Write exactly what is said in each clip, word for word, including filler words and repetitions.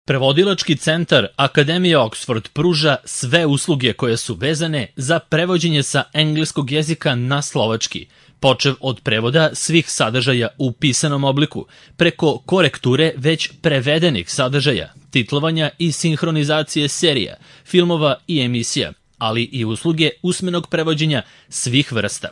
Prevodilački centar Akademije Oxford pruža sve usluge koje su vezane za prevođenje sa engleskog jezika na slovački, počev od prevoda svih sadržaja u pisanom obliku, preko korekture već prevedenih sadržaja, titlovanja i sinhronizacije serija, filmova i emisija, ali i usluge usmenog prevođenja svih vrsta.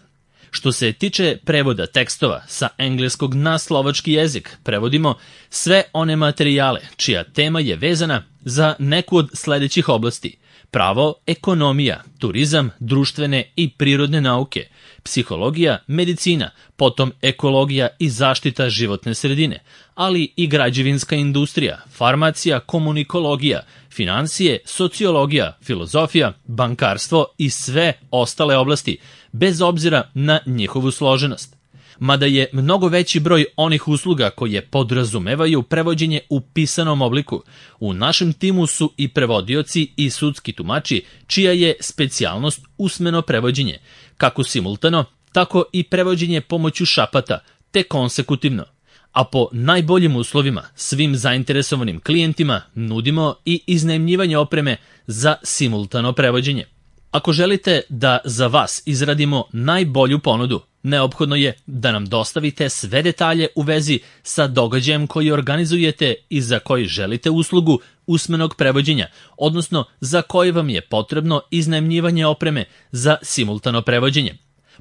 Što se tiče prevoda tekstova sa engleskog na slovački jezik, prevodimo sve one materijale čija tema je vezana za neku od sledećih oblasti: pravo, ekonomija, turizam, društvene i prirodne nauke, psihologija, medicina, potom ekologija i zaštita životne sredine, ali i građevinska industrija, farmacija, komunikologija, finansije, sociologija, filozofija, bankarstvo i sve ostale oblasti, bez obzira na njihovu složenost. Mada je mnogo veći broj onih usluga koje podrazumevaju prevođenje u pisanom obliku, u našem timu su i prevodioci i sudski tumači, čija je specijalnost usmeno prevođenje, kako simultano, tako i prevođenje pomoću šapata, te konsekutivno. A po najboljim uslovima svim zainteresovanim klijentima nudimo i iznajmljivanje opreme za simultano prevođenje. Ako želite da za vas izradimo najbolju ponudu, neophodno je da nam dostavite sve detalje u vezi sa događajem koji organizujete i za koji želite uslugu usmenog prevođenja, odnosno za koji vam je potrebno iznajmljivanje opreme za simultano prevođenje.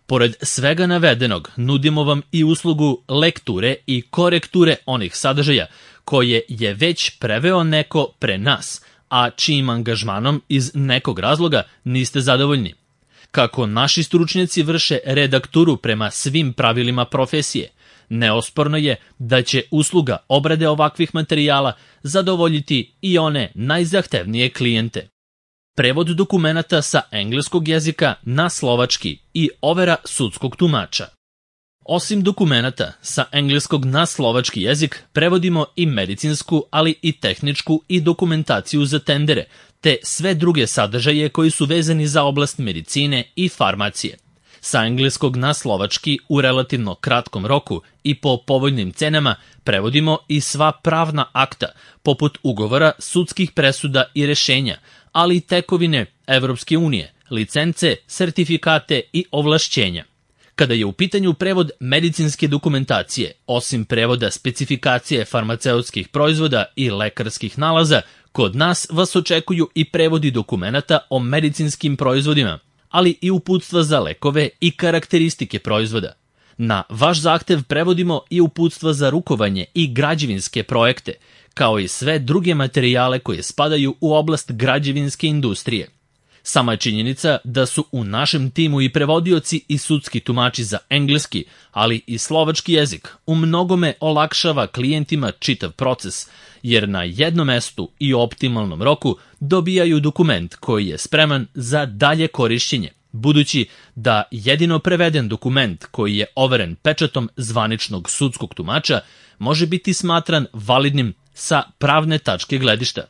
Pored svega navedenog, nudimo vam i uslugu lekture i korekture onih sadržaja koje je već preveo neko pre nas, a čijim angažmanom iz nekog razloga niste zadovoljni. Kako naši stručnjaci vrše redakturu prema svim pravilima profesije, neosporno je da će usluga obrade ovakvih materijala zadovoljiti i one najzahtevnije klijente. Prevod dokumenata sa engleskog jezika na slovački i overa sudskog tumača. Osim dokumenata sa engleskog na slovački jezik, prevodimo i medicinsku, ali i tehničku i dokumentaciju za tendere, te sve druge sadržaje koji su vezani za oblast medicine i farmacije. Sa engleskog na slovački u relativno kratkom roku i po povoljnim cenama prevodimo i sva pravna akta, poput ugovora, sudskih presuda i rešenja, ali i tekovine Evropske unije, licence, sertifikate i ovlašćenja. Kada je u pitanju prevod medicinske dokumentacije, osim prevoda specifikacije farmaceutskih proizvoda i lekarskih nalaza, kod nas vas očekuju i prevodi dokumenata o medicinskim proizvodima, ali i uputstva za lekove i karakteristike proizvoda. Na vaš zahtev prevodimo i uputstva za rukovanje i građevinske projekte, kao i sve druge materijale koje spadaju u oblast građevinske industrije. Sama je činjenica da su u našem timu i prevodioci i sudski tumači za engleski, ali i slovački jezik, u mnogome olakšava klijentima čitav proces, jer na jednom mestu i optimalnom roku dobijaju dokument koji je spreman za dalje korišćenje, budući da jedino preveden dokument koji je overen pečatom zvaničnog sudskog tumača može biti smatran validnim sa pravne tačke gledišta.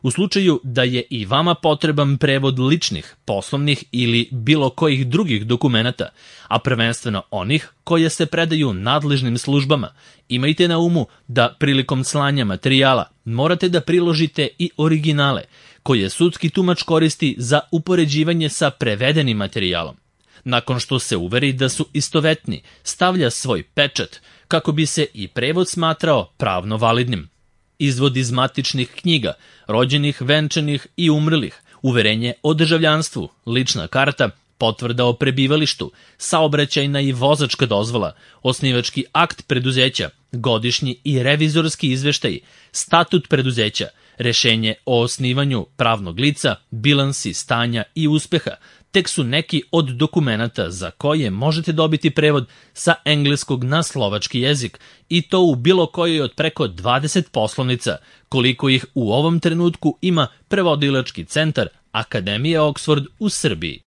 U slučaju da je i vama potreban prevod ličnih, poslovnih ili bilo kojih drugih dokumenata, a prvenstveno onih koje se predaju nadležnim službama, imajte na umu da prilikom slanja materijala morate da priložite i originale, koje sudski tumač koristi za upoređivanje sa prevedenim materijalom. Nakon što se uveri da su istovetni, stavlja svoj pečat kako bi se i prevod smatrao pravno validnim. Izvod iz matičnih knjiga, rođenih, venčanih i umrlih, uverenje o državljanstvu, lična karta, potvrda o prebivalištu, saobraćajna i vozačka dozvola, osnivački akt preduzeća, godišnji i revizorski izveštaji, statut preduzeća, rešenje o osnivanju pravnog lica, bilansi stanja i uspeha, tek su neki od dokumenata za koje možete dobiti prevod sa engleskog na slovački jezik, i to u bilo kojoj od preko dvadeset poslovnica, koliko ih u ovom trenutku ima prevodilački centar Akademije Oxford u Srbiji.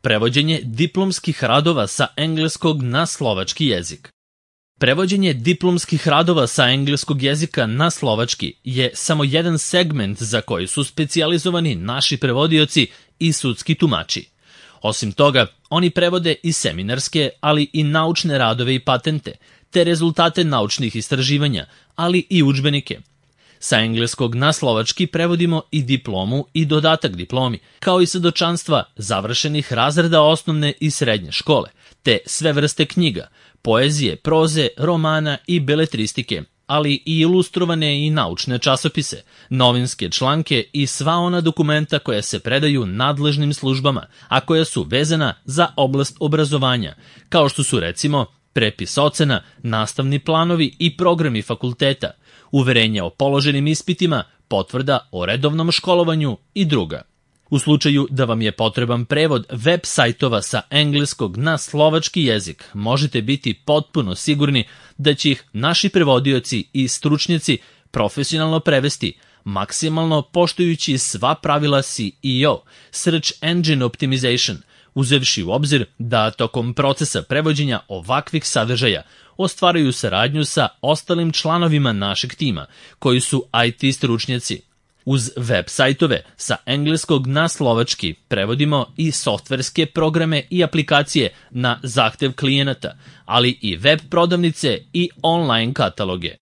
Prevođenje diplomskih radova sa engleskog na slovački jezik. Prevođenje diplomskih radova sa engleskog jezika na slovački je samo jedan segment za koji su specijalizovani naši prevodioci i sudski tumači. Osim toga, oni prevode i seminarske, ali i naučne radove i patente, te rezultate naučnih istraživanja, ali i udžbenike. Sa engleskog na slovački prevodimo i diplomu i dodatak diplomi, kao i svedočanstva završenih razreda osnovne i srednje škole, te sve vrste knjiga, poezije, proze, romana i beletristike, ali i ilustrovane i naučne časopise, novinske članke i sva ona dokumenta koja se predaju nadležnim službama, a koja su vezana za oblast obrazovanja, kao što su recimo prepis ocena, nastavni planovi i programi fakulteta, uverenje o položenim ispitima, potvrda o redovnom školovanju i druga. U slučaju da vam je potreban prevod web sajtova sa engleskog na slovački jezik, možete biti potpuno sigurni da će ih naši prevodioci i stručnjaci profesionalno prevesti, maksimalno poštujući sva pravila S E O, Search Engine Optimization, uzevši u obzir da tokom procesa prevođenja ovakvih sadržaja ostvaraju saradnju sa ostalim članovima našeg tima, koji su I T stručnjaci. Uz web sajtove sa engleskog na slovački prevodimo i softverske programe i aplikacije na zahtev klijenata, ali i web prodavnice i online kataloge.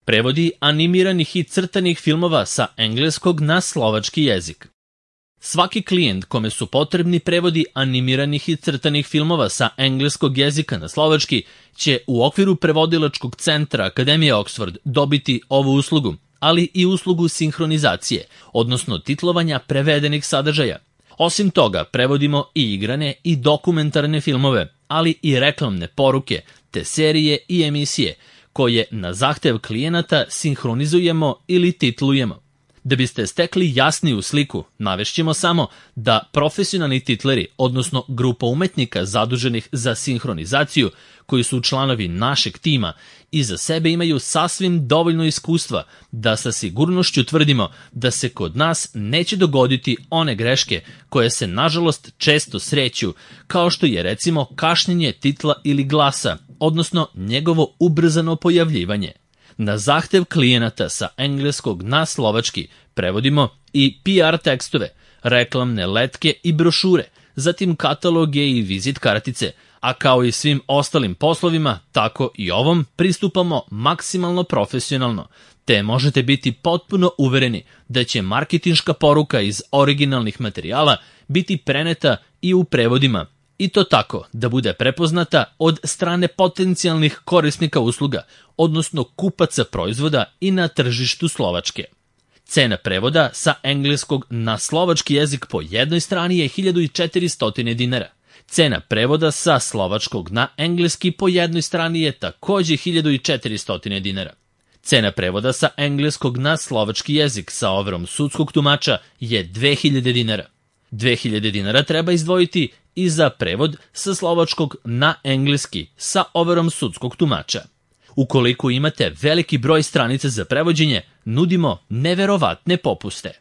Prevodi animiranih i crtanih filmova sa engleskog na slovački jezik. Svaki klijent kome su potrebni prevodi animiranih i crtanih filmova sa engleskog jezika na slovački će u okviru prevodilačkog centra Akademije Oxford dobiti ovu uslugu, ali i uslugu sinhronizacije, odnosno titlovanja prevedenih sadržaja. Osim toga, prevodimo i igrane i dokumentarne filmove, ali i reklamne poruke, te serije i emisije, koje na zahtev klijenata sinhronizujemo ili titlujemo. Da biste stekli jasniju sliku, navešćemo samo da profesionalni titleri, odnosno grupa umetnika zaduženih za sinhronizaciju, koji su članovi našeg tima, iza sebe imaju sasvim dovoljno iskustva da sa sigurnošću tvrdimo da se kod nas neće dogoditi one greške koje se nažalost često sreću, kao što je recimo kašnjenje titla ili glasa, odnosno njegovo ubrzano pojavljivanje. Na zahtev klijenata sa engleskog na slovački prevodimo i P R tekstove, reklamne letke i brošure, zatim kataloge i vizit kartice, a kao i svim ostalim poslovima, tako i ovom pristupamo maksimalno profesionalno, te možete biti potpuno uvereni da će marketinška poruka iz originalnih materijala biti preneta i u prevodima, i to tako da bude prepoznata od strane potencijalnih korisnika usluga, odnosno kupaca proizvoda i na tržištu Slovačke. Cena prevoda sa engleskog na slovački jezik po jednoj strani je hiljadu četiristo dinara. Cena prevoda sa slovačkog na engleski po jednoj strani je takođe hiljadu četiristo dinara. Cena prevoda sa engleskog na slovački jezik sa overom sudskog tumača je dve hiljade dinara. dve hiljade dinara treba izdvojiti i za prevod sa slovačkog na engleski sa overom sudskog tumača. Ukoliko imate veliki broj stranica za prevođenje, nudimo neverovatne popuste.